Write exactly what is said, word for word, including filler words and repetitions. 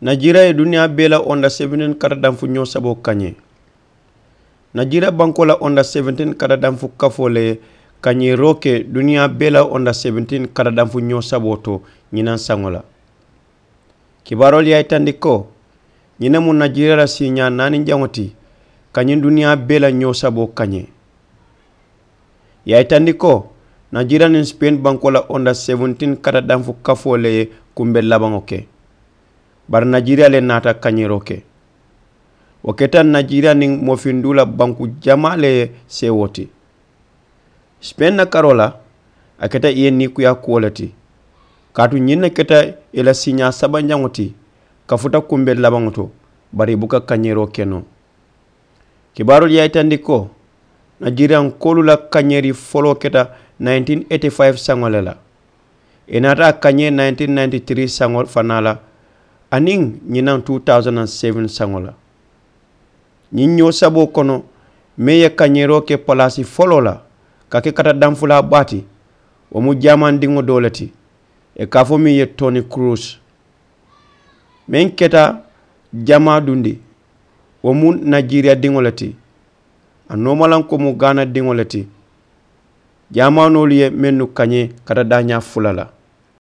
Najira ye duniyaa bee la onda seventeen kata danfu ñoo saboo kañee. Najira bankoo la onda seventeen kata danfu kafoo le ye kañeeroo ke duniyaa bee la onda seventeen kata danfu ñoo saboo to ñinaŋ saŋo la. Kibaaroolu ye a yitandi ko ñiŋ ne mu najira la siiñaa naani jaŋo ti ka ñiŋ duniyaa bee la ñoo saboo kañee. Ye a yitandi ko najira niŋ sipeeni bankoo la onda seventeen kata danfu kafoo le ye kumbe labaŋo ke. Bari najira le naata kañeeroo ke. Wo keta najira niŋ moofinduu la banku jamaa le ye seewoo ti. Sipeeni la karoo la a keta i ye niikuyaa kuwo le ti. Kaatu ñiŋ ne keta i la siiñaa sabanjaŋo ti kafuta kumbe labaŋo to. Bari i buka kañeeroo ke noo. Kibaaroolu ye a yitandi ko najiriyankoolu la kañeeri foloo keta nineteen eighty five saŋo le la. I naata a kañee nineteen ninety three saŋo fanaa la aniŋ ñinaŋ two thousand and seven saŋo la. Ñiŋ ñoo saboo kono meŋ ye kañeeroo ke palaasi foloo la ka ke kata danfulaa baa ti. Wo mu jaamandiŋo doo le ti i ka a fo meŋ ye toni kuruus. Meŋ keta jamaa dundi wo mu najiriya diŋo le ti. A noomalaŋ ko mu gaana diŋo le ti. Jaamaanoolu ye mennu kañee kata daañaa fula la.